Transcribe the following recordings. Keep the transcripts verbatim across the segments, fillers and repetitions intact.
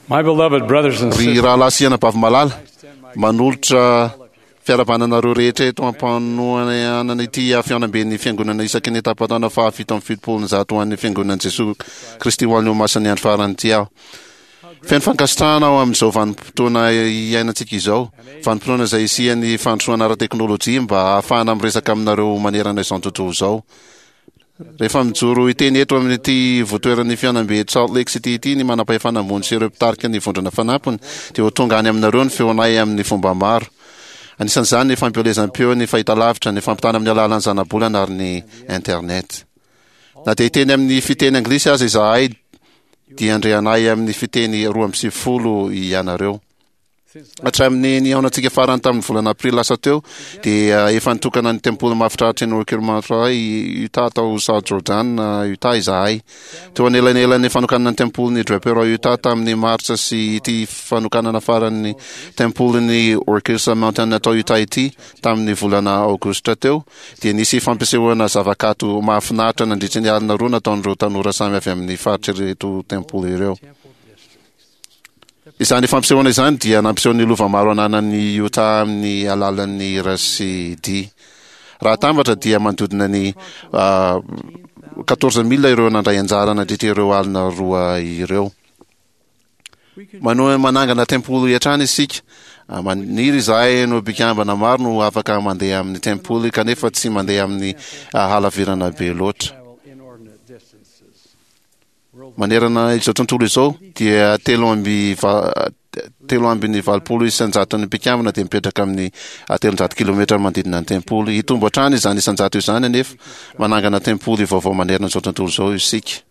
My beloved brothers and Ry sisters, rahalahy sy anabavy malala, manolotra fiarahabana anareo rehetra eto am-panohanana ity fihaonamben'ny fiangonana isaky ny tapataona fahafito amby fitopolo ny zato ho an'ny fiangonan'i Jesoa Kristy ho an'ny Olomasin'ny andro farany ity aho. Feno fankasitrahana aho amin'izao vanim-potoana iainantsika izao, vanim-potoana izay hisian'ny fandrosoana ara-teknolojia mba hahafahana miresaka aminareo manerana izao tontolo izao. Rehefa mijoro hiteny eto amin'ity ivotoeran'ny fihaonambe eto Salt Lake City ity ny manam-pahefana ambony sy ireo mpitarika ny vondrona fanampiny, dia ho tonga any aminareo ny feonay amin'ny fomba maro. Anisan'izany ny fampielezam-peo, ny fahitalavitra, ny fampitana amin'ny alalan'ny zanabolana ary ny Internet. Na dia hiteny amin'ny fiteny anglisy aza izahay, dia handre anay amin'ny fiteny roa amby sivifolo ianareo. Hatramin'ny nihaonantsika farany tamin'ny volana aprily lasa teo dia efa nitokana ny tempoly mahafinaritra ny Orchid Mountain Utah tao South Jordan, Utah izahay. Teo anelanelan'ny fanokanana ny tempolin'ny Draper ao Utah tamin'ny martsa sy ity fanokanana farany tempolin'ny Orchid Mountain tao Utah ity tamin'ny volana aogositra teo dia nisy fampisehoana zavakanto mahafinaritra nandritra ny alina roa nataon'ireo tanora samy avy amin'ny faritr'ireto tempoly ireo. Izany fampisehoana izany dia nampiseho ny lova maro ananan'i Utah amin'ny alalan'ny hira sy dihy. Raha atambatra dia manodidina ny quatorze mille ireo nandray anjara nandritra ireo alina roa ireo. Manohy manangana tempoly hatrany isika. Maniry izahay no mpikambana maro no afaka mandeha amin'ny tempoly kanefa tsy mandeha amin'ny halavirana be loatra. Manerana izao tontolo izao dia telo amby telo ambin'ny valopolo isan-jaton'ny mpikambana dia mipetraka amin'ny telonjato kilometra manodidina ny tempoly. Hitombo hatrany izany isan-jato izany anefa manangana tempoly vaovao manerana izao tontolo izao isika.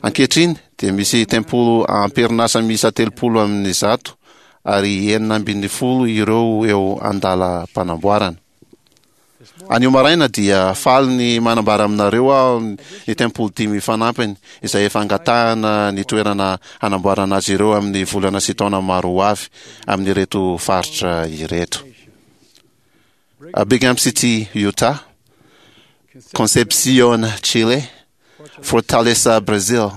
Ankehitriny dia misy tempoly am-perinasa miisa telopolo amin'ny zato ary enina ambin'ny folo ireo eo an-dalam-panamboarana. Anio maraina dia faly ny manambara aminareo aho ny tempoly dimy fanampiny izay efa angatahana ny toerana hanamboarana azy ireo amin'ny volana sy taona maro ho avy amin'ireto faritra ireto. Brigham City, Utah, Concepcion, Chile, Fortaleza, Brazil,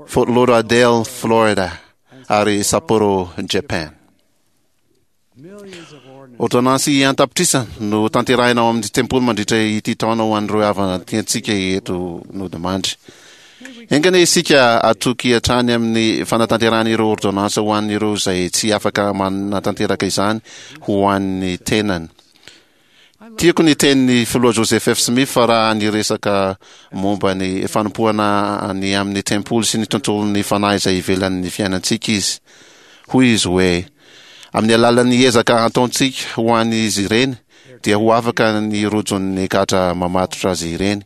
Fort Lauderdale, Florida ary Sapporo, Japan. Ôrdônansy an-tapitrisa no tanterahina ao amin'ny tempoly mandritra ity taona ho an'ireo havana tiantsika eto nodimandry. Enga anie isika hatoky hatrany amin'ny fanatanterahana ireo ôrdônansy ho an'ireo izay tsy afaka manatanteraka izany ho an'ny tenany. Tiako ny tenin'ny Filoha Joseph F. Smith raha niresaka momba ny fanompoana ny amin'ny tempoly sy ny tontolon'ny fanahy izay ivelan'ny fiainantsika izy. Hoy izy hoe, Amin'ny alalan'ny ezaka ataontsika ho an'izy ireny dia ho afaka ny rojon'ny gadra mamatotra azy ireny.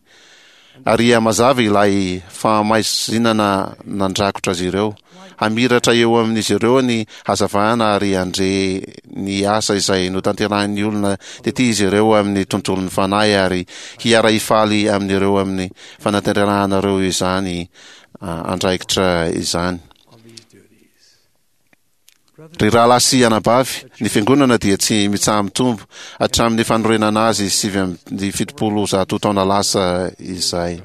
Ary hihamazava ilay fahamaizinana nandrakotra azy ireo. Hamiratra eo amin'izy ireo ny hazavana ary handre ny asa izay notanterahin'ny olona tety izy ireo amin'ny tontolon'ny fanahy ary hiara-hifaly amin'ireo amin'ny fanatanterahanareo izany andraikitra izany. Ry rahalahy sy anabavy, ny Fiangonana dia tsy mitsaha-mitombo hatramin'ny fanorenana azy sivy amby fitopolo zato taona lasa izay.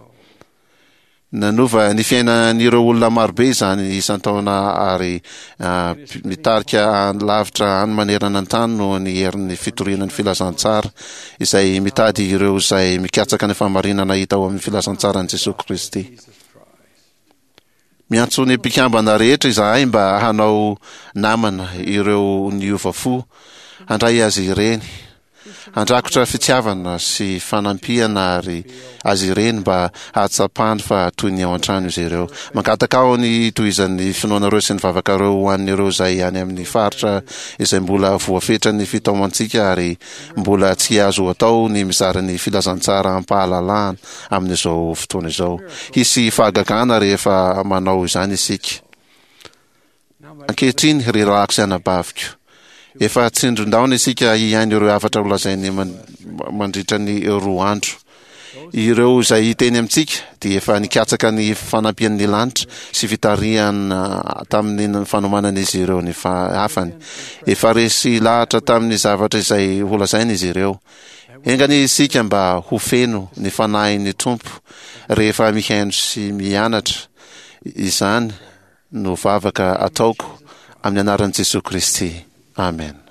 Nanova ny fiainan'ireo olona marobe izany isan-taona ary mitarika lavitra any manerana ny tany noho ny herin'ny fitoriana ny filazantsara izay mitady ireo izay mikatsaka ny fahamarinana hita ao amin'ny filazantsaran'i Jesoa Kristy. Miantso ny mpikambana rehetra izahay mba hanao namana ireo niova fo, handray azy ireny, handrakotra fitiavana sy fanampiana ary azy ireny mba hahatsapany fa toy ny ao an-trano izy ireo. Mangataka aho ny hitohizan'ny finoanareo sy ny vavakareo ho an'ireo izay any amin'ny faritra izay mbola voafetra ny fitaomantsika ary mbola tsy azo atao ny mizara ny filazantsara am-pahalalahana amin'izao fotoana izao. Hisy fahagagana rehefa manao izany isika. Ankehitriny, ry rahalahiko sy anabaviko, efa tsindrin-daona isika hihaino ireo hafatra holazainy mandritra ny roa andro. Ireo izay hiteny amintsika dia efa nikatsaka ny fanampian'ny lanitra sy fitarihana tamin'ny fanomanan'izy ireo ny hafany. Efa resy lahatra tamin'ny zavatra izay holazainy izy ireo. Enga anie isika mba ho feno ny Fanahin'ny Tompo rehefa mihaino sy mianatra izany no vavaka ataoko amin'ny anaran'i Jesoa Kristy. Amen.